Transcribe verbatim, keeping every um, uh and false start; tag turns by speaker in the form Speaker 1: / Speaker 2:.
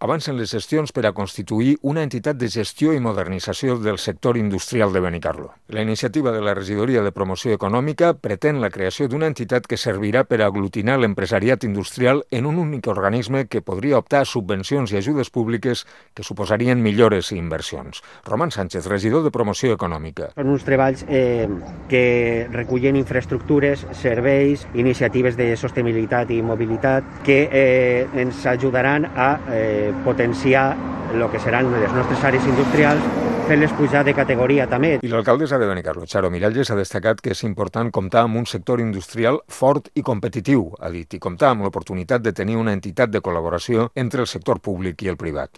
Speaker 1: Avancen les gestions per a constituir una entitat de gestió i modernització del sector industrial de Benicarló. La iniciativa de la Regidoria de Promoció Econòmica pretén la creació d'una entitat que servirà per a aglutinar l'empresariat industrial en un únic organisme que podria optar a subvencions i ajudes públiques que suposarien millores i inversions. Roman Sánchez, regidor de Promoció Econòmica.
Speaker 2: Són uns treballs eh, que recullen infraestructures, serveis, iniciatives de sostenibilitat i mobilitat que eh, ens ajudaran a eh, potenciar el que seran les nostres àrees industrials, fer-les pujar de categoria també.
Speaker 1: I l'alcaldessa de Benicarló, Charo Miralles, ha destacat que és important comptar amb un sector industrial fort i competitiu, ha dit, i comptar amb l'oportunitat de tenir una entitat de col·laboració entre el sector públic i el privat.